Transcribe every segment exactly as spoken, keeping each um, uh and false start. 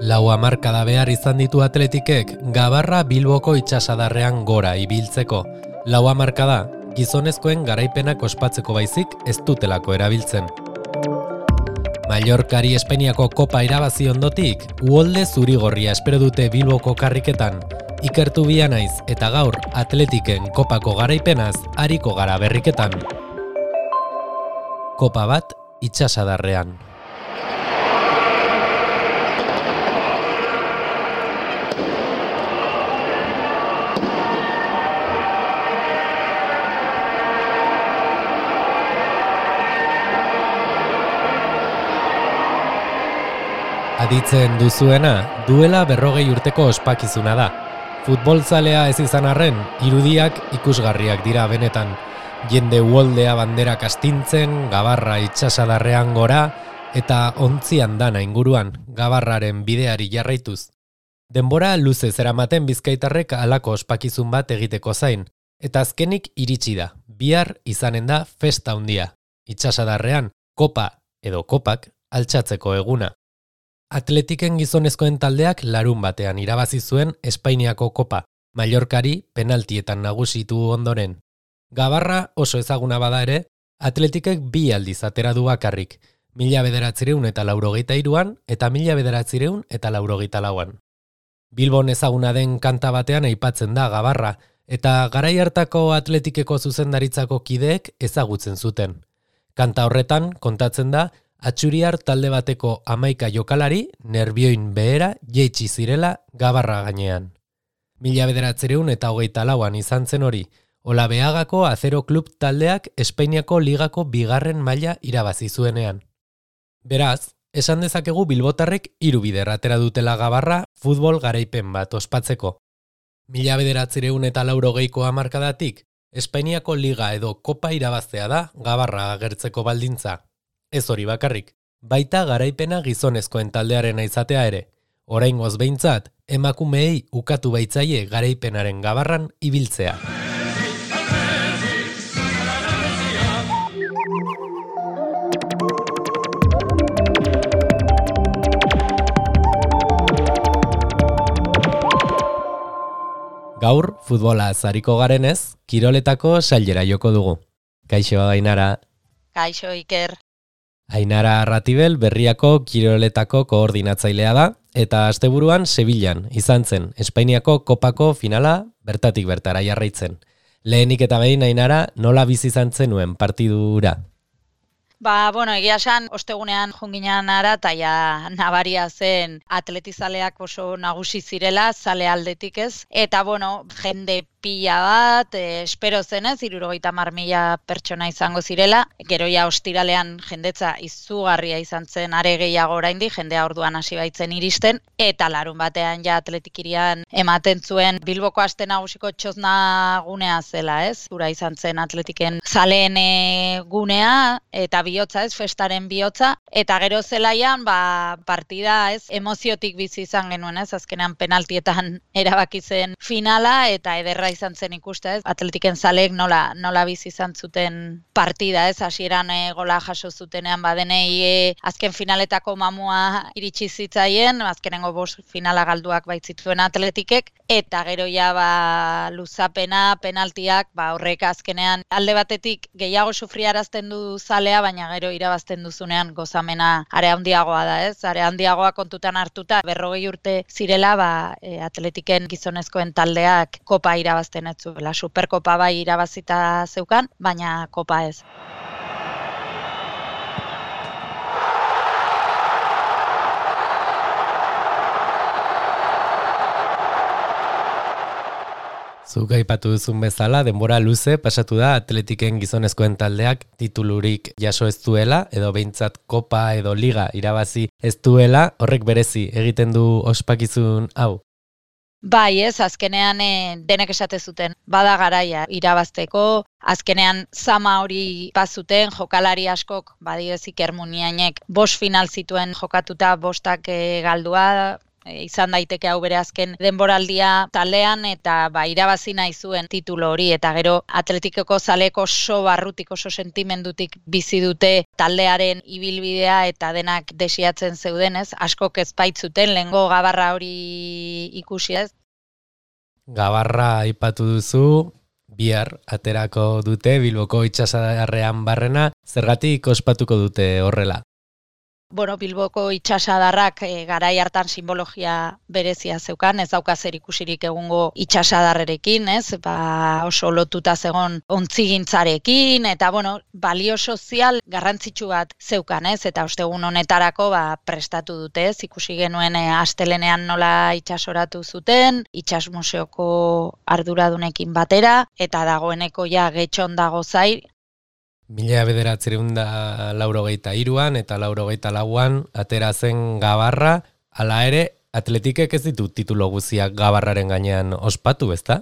Lau hamarkada behar izan ditu atletikek Gabarra Bilboko itsasadarrean gora ibiltzeko. Lau hamarkada gizonezkoen garaipenak ospatzeko baizik ez dutelako erabiltzen. Mallorcari Espainiako kopa irabazi ondotik, uholde zurigorria espero dute Bilboko karriketan. Ikertu bia naiz eta gaur atletiken kopako garaipenaz ariko gara berriketan. Kopa bat itsasadarrean. Aditzen duzuena, duela berrogei urteko ospakizuna da. Futbolzalea ez izan arren, irudiak ikusgarriak dira benetan. Jende uholdea banderak astintzen, Gabarra itsasadarrean gora, eta ontzian dana inguruan, Gabarraren bideari jarraituz. Denbora luze zeramaten bizkaitarrek halako ospakizun bat egiteko zain, eta azkenik iritsi da, bihar izanen da festa handia. Itsasadarrean, kopa edo kopak altxatzeko eguna. Atletiken gizonezkoen taldeak larun batean irabazi zuen Espainiako kopa, Mallorcari penaltietan nagusitu ondoren. Gabarra oso ezaguna bada ere, Atletikek bi aldiz atera du bakarrik, mila bederatzireun eta laurogeita hiruan eta mila bederatzireun eta laurogeita lauan. Bilbon ezaguna den kanta batean aipatzen da Gabarra, eta garai hartako Atletikeko zuzendaritzako kideek ezagutzen zuten. Kanta horretan kontatzen da, Atxuriar talde bateko hamaika jokalari nerbioin behera jeitsi zirela Gabarra gainean. Mila bederatzireun eta hogeita lauan izan zen hori, Olabeagako Azero Klub taldeak Espainiako ligako bigarren maila irabazi zuenean. Beraz, esan dezakegu bilbotarrek hiru bider atera dutela Gabarra futbol garaipen bat ospatzeko. Mila bederatzireun eta laurogeiko hamarkadatik, Espainiako liga edo kopa irabaztea da Gabarra agertzeko baldintza. Ez hori bakarrik, baita garaipena gizonezkoen taldearena izatea ere. Oraingoz behintzat, emakumeei ukatu baitzaie garaipenaren Gabarran ibiltzea. Gaur, futbola zariko garenez, kiroletako sailera joko dugu. Kaixo, Ainara. Kaixo, Iker. Ainara Arratibel Berriako kiroletako koordinatzailea da, eta asteburuan Sevillan izan zen Espainiako kopako finala bertatik bertara jarraitzen. Lehenik eta behin, Ainara, nola bizi izan zenuen partidura? Ba, bueno, egia esan, ostegunean jonginan ara, eta ja nabaria zen atletizaleak oso nagusi zirela, zale aldetik ez. Eta, bueno, jende pila bat, eh, espero zenez, hirurogeita hamar mila pertsona izango zirela. Gero ja ostiralean jendetza izugarria izan zen are gehiago oraindik, jendea orduan hasi baitzen iristen. Eta larun batean ja atletikirian ematen zuen Bilboko aste nagusiko txosna gunea zela, ez? Ura izan zen atletiken zaleen gunea, eta bihotza ez, festaren bihotza. Eta gero zelaian, ba, partida ez, emoziotik bizi izan genuen ez, azkenean penaltietan erabaki zen finala, eta ederra izan zen ikuste ez, atletiken zaleek nola, nola bizi izan zuten partida ez, hasieran e, gola jaso zutenean badenei e, azken finaletako mamua iritsi zitzaien, azkenengo bost finala galduak baitzituen atletikek, eta gero ja ba, luzapena, penaltiak, ba, horrek azkenean alde batetik gehiago sufriarazten du zalea, baina gero irabazten duzunean gozamena are handiagoa da ez, are handiagoa kontutan hartuta, berrogei urte zirela ba, e, atletiken gizonezkoen taldeak kopa irabazten ez zuela, superkopa bai irabazita zeukan, baina kopa ez. Zuk aipatu duzun bezala, denbora luze pasatu da atletiken gizonezkoen taldeak titulurik jaso ez duela, edo behintzat kopa edo liga irabazi ez duela, horrek berezi egiten du ospakizun hau. Bai ez, azkenean e, denek esate zuten, bada garaia irabazteko, azkenean zama hori bazuten, jokalari askok, badioz Iker Muniainek, bost final zituen jokatuta, bostak e, galdua, e, izan daiteke hau bere azken denboraldia taldean eta ba irabazi nahi zuen titulo hori eta gero Atletikoko zaleek oso barrutik oso sentimendutik bizi dute taldearen ibilbidea eta denak desiatzen zeudenez, askok ez baitzuten lehengo gabarra hori ikusi ez. Gabarra aipatu duzu, bihar aterako dute Bilboko itsasadarrean barrena, zergatik ospatuko dute horrela? Bueno, Bilboko itsasadarrak e, garai hartan simbologia berezia zeukan, ez dauka zer ikusirik egungo itsasadarrerekin, ez? Ba, oso lotuta zegon ontzigintzarekin eta bueno, balio sozial garrantzitsu bat zeukan, ez? Eta ostegun honetarako ba prestatu dute, ez? Ikusi genuen e, astelenean nola itsasoratu zuten, itsas museoko arduradunekin batera eta dagoeneko ja getxon dago zai. Mila bederatziehun eta laurogeita hiruan eta laurogeita lauan atera zen Gabarra, hala ere Atletikek ez ditu titulo guziak Gabarraren gainean ospatu, ezta?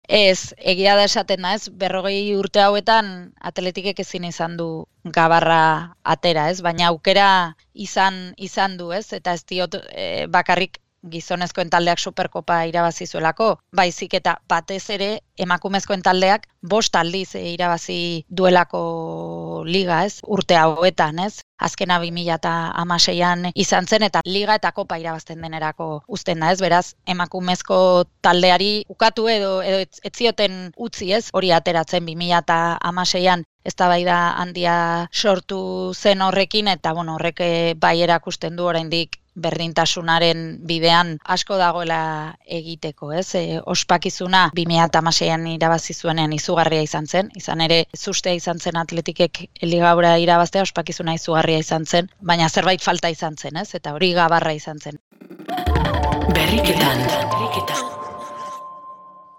Ez, egia da esaten da, ez, berrogei urte hauetan Atletikek ezin izan du Gabarra atera, ez, baina aukera izan izan du, ez, eta ez diot e, bakarrik gizonezkoen taldeak Superkopa irabazi zuelako, baizik eta batez ere emakumezkoen taldeak bost aldiz irabazi duelako liga, ez? Urte hauetan, ez? Azkena bi mila hamaseian izan zen eta liga eta kopa irabazten denerako uzten da, ez? Beraz, emakumezko taldeari ukatu edo edo ez zioten utzi, ez? Hori ateratzen bi mila hamaseian eztabaida handia sortu zen horrekin eta bueno, horrek bai erakusten du oraindik berdintasunaren bidean asko dagoela egiteko, ez? E, ospakizuna bi mila hamaseian irabazi zuenean izugarria izan zen, izan ere zustea izan zen Atletikek ligaura irabaztea, ospakizuna izugarria izan zen, baina zerbait falta izan zen, ez? Eta hori Gabarra izan zen. Berriketan, berriketan.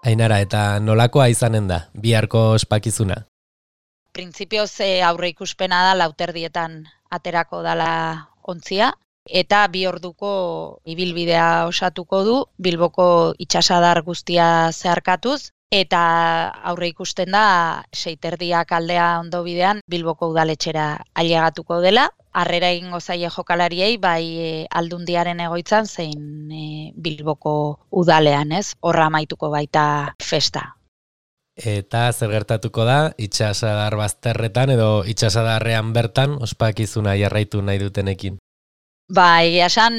Ainara, eta nolakoa izanen da biharko ospakizuna? Printzipioz aurre ikuspena da lauterdietan aterako dala ontzia, eta bi orduko ibilbidea osatuko du, Bilboko itsasadar guztia zeharkatuz, eta aurre ikusten da seiterdiak aldea ondo bidean Bilboko udaletxera ailegatuko dela, harrera egingo zaie jokalariei bai e, Aldundiaren egoitzan zein e, Bilboko udalean, ez? Horra amaituko baita festa. Eta zer gertatuko da itsasadar bazterretan edo itsasadarrean bertan ospakizuna jarraitu nahi dutenekin? Ba, egia esan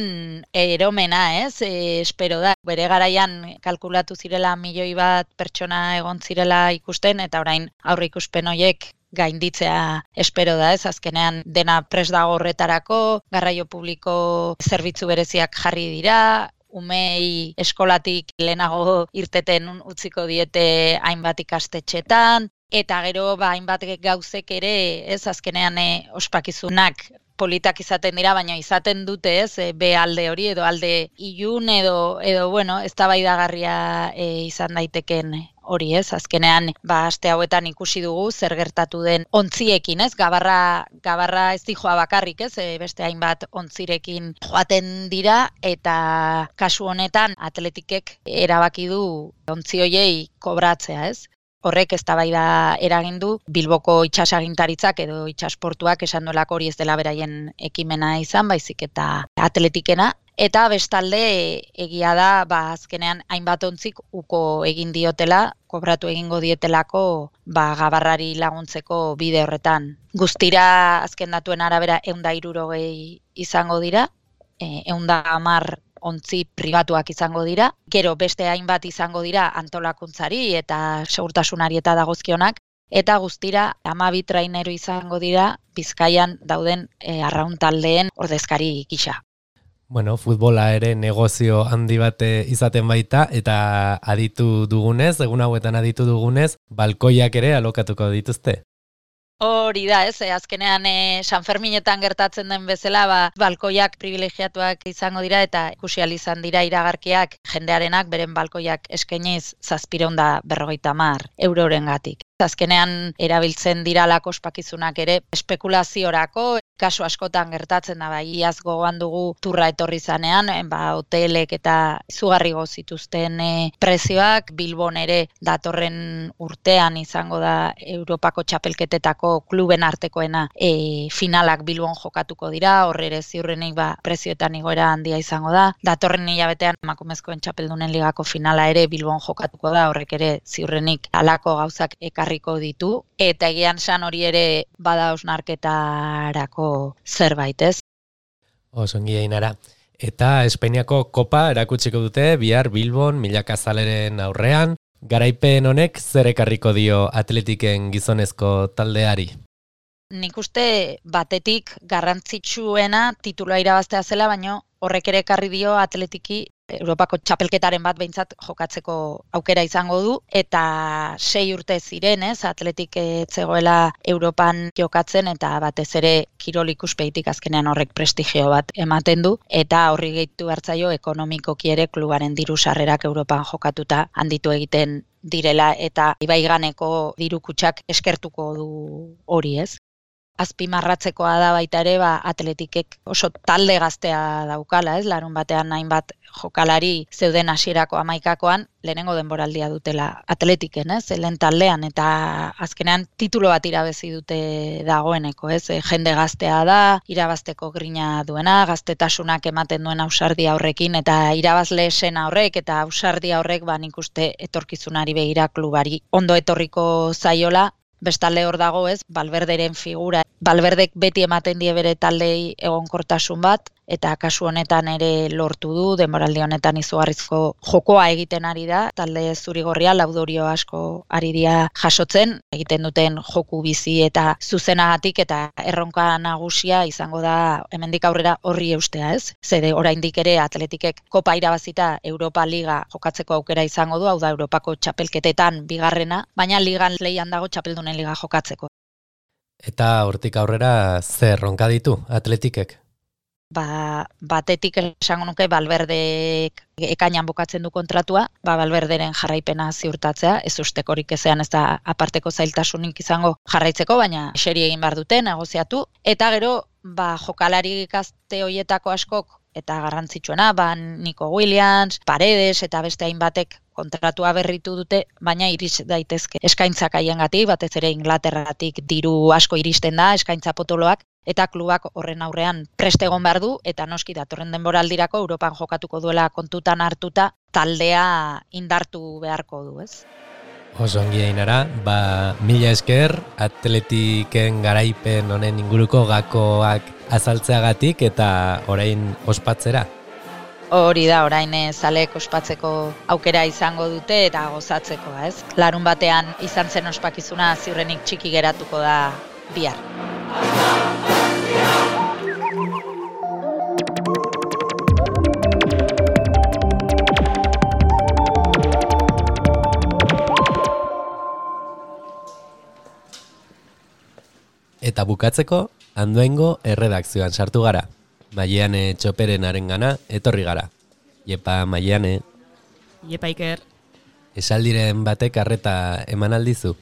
eromena, ez? E, espero da, bere garaian kalkulatu zirela milioi bat pertsona egon zirela ikusten, eta orain aurre ikuspen horiek gainditzea espero da, ez? Azkenean dena prest dago horretarako, garraio publiko zerbitzu bereziak jarri dira, umei eskolatik lehenago irteten utziko diete hainbat ikastetxetan, eta gero ba, hainbat gauzek ere, ez? Azkenean e, ospakizunak politak izaten dira, baina izaten dute, ez, e, be alde hori edo alde ilun edo edo bueno, eztabaidagarria e, izan daiteken hori, ez? Azkenean, ba aste hauetan ikusi dugu zer gertatu den ontziekin, ez? Gabarra Gabarra ez dijoa bakarrik, ez? E, beste hainbat ontzirekin joaten dira eta kasu honetan Atletikek erabaki du ontzi hoiei kobratzea, ez? Horrek eztabaida eragin du Bilboko itsasagintaritzak edo itsasportuak esan duelako hori ez dela beraien ekimena izan, baizik eta Atletikena. Eta bestalde egia da, ba, azkenean hainbat ontzik uko egin diotela, kobratu egingo dietelako ba, Gabarrari laguntzeko bide horretan. Guztira azken datuen arabera ehun eta hirurogei izango dira, ehun eta hamar ontzi pribatuak izango dira, gero beste hainbat izango dira antolakuntzari eta segurtasunari eta dagozkionak, eta guztira hamabi traineru izango dira Bizkaian dauden e, arraun taldeen ordezkari gisa. Bueno, futbola ere negozio handi bate izaten baita, eta aditu dugunez, egun hauetan aditu dugunez, balkoiak ere alokatuko dituzte. Hori da, ez, azkenean e, San Ferminetan gertatzen den bezala, ba, balkoiak privilegiatuak izango dira eta ikusi ahal izan dira iragarkiak jendearenak beren balkoiak eskainiz zazpiehun eta berrogeita hamar eurorengatik. Azkenean erabiltzen diralako ospakizunak ere espekulaziorako, kasu askotan gertatzen da, bai, iaz gogoan dugu turra etorri zanean, ba, hotelek eta izugarri zituzten e, prezioak, Bilbon ere datorren urtean izango da Europako txapelketetako kluben artekoena e, finalak Bilbon jokatuko dira, horre ere ziurrenik ba, prezioetan igoera handia izango da, datorren hilabetean emakumezkoen txapeldunen ligako finala ere Bilbon jokatuko da, horrek ere ziurrenik halako gauzak ekarriko ditu, eta egian san hori ere bada osnarketarako zerbait, ez? Osongi Ainara. Eta Espainiako kopa erakutsiko dute bihar Bilbon milaka zaleren aurrean. Garaipen honek zer ekarriko dio Atletiken gizonezko taldeari? Nik uste batetik garrantzitsuena titulua irabaztea zela, baino horrek ere ekarri dio Atletiki Europako txapelketaren bat behintzat jokatzeko aukera izango du, eta sei urte ziren, ez, Atletik zegoela Europan jokatzen, eta batez ere kirol ikuspeitik azkenean horrek prestigio bat ematen du, eta horri gehitu hartzaio ekonomikoki ere klubaren diru sarrerak Europan jokatuta handitu egiten direla, eta ibaiganeko diru kutxak eskertuko du hori, ez. Azpimarratzekoa da baita ere, ba, Atletikek oso talde gaztea daukala, ez? Larun batean hainbat jokalari zeuden hasierako hamaikakoan, lehenengo denboraldia dutela Atletiken, ez? Lehen taldean, eta azkenean titulo bat irabezi dute dagoeneko, ez? Jende gaztea da, irabazteko grina duena, gaztetasunak ematen duen ausardia horrekin, eta irabazle esena horrek, eta ausardia horrek, ba, nik uste etorkizunari begira klubari ondo etorriko zaiola. Bestalde hor dago, ez, Valverderen figura. Valverdek beti ematen die bere taldei egonkortasun bat, eta kasu honetan ere lortu du, denboraldi honetan izugarrizko jokoa egiten ari da, talde zurigorria laudorio asko ari dira jasotzen, egiten duten joku bizi eta zuzenagatik, eta erronka nagusia izango da hemendik aurrera horri eustea, ez? Zede oraindik ere Atletikek kopa irabazita Europa Liga jokatzeko aukera izango du, hau da Europako txapelketetan bigarrena, baina ligan lehian dago txapeldunen liga jokatzeko. Eta hortik aurrera zer erronka ditu Atletikek? Ba, batetik esango nuke Valverdek ekainan bukatzen du kontratua, ba, Valverderen jarraipena ziurtatzea, ez ustekorik ezean ez da aparteko zailtasunik izango jarraitzeko, baina eseri egin behar dute, negoziatu, eta gero ba, jokalari gazte hoietako askok, eta garrantzitsuena, ba, Nico Williams, Paredes eta beste hainbatek kontratua berritu dute, baina iris daitezke eskaintzak haiengatik, batez ere Inglaterratik diru asko iristen da, eskaintza potoloak, eta klubak horren aurrean prest egon behar du, eta noski datorren denboraldirako Europan jokatuko duela kontutan hartuta, taldea indartu beharko du, ez? Oso ongi Ainara, ba, mila esker, Atletiken garaipen honen inguruko gakoak azaltzeagatik eta orain ospatzera. Hori da, orain zalek ospatzeko aukera izango dute eta gozatzeko, ez? Larun batean izan zen ospakizuna ziurrenik txiki geratuko da bihar. Eta bukatzeko, Andoaingo erredakzioan sartu gara. Maiane Txoperen gana etorri gara. Iepa, Maiane. Iepa, Iker. Esaldiren batek arreta eman aldizu?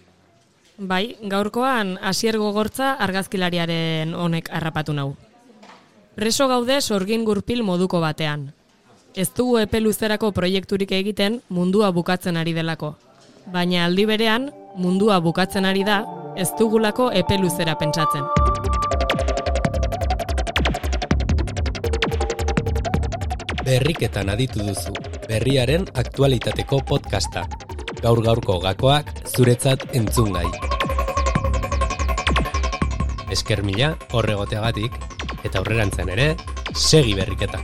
Bai, gaurkoan Asier Gogortza argazkilariaren honek harrapatu nau. Preso gaude sorgin gurpil moduko batean. Ez dugu epe luzerako proiekturik egiten mundua bukatzen ari delako. Baina aldi berean, mundua bukatzen ari da, ez dugulako epe luzera pentsatzen. Berriketan aditu duzu, berriaren aktualitateko podcasta. Gaur-gaurko gakoak zuretzat entzungai. Esker mila horregoteagatik, eta aurrerantzen ere, segi berriketan.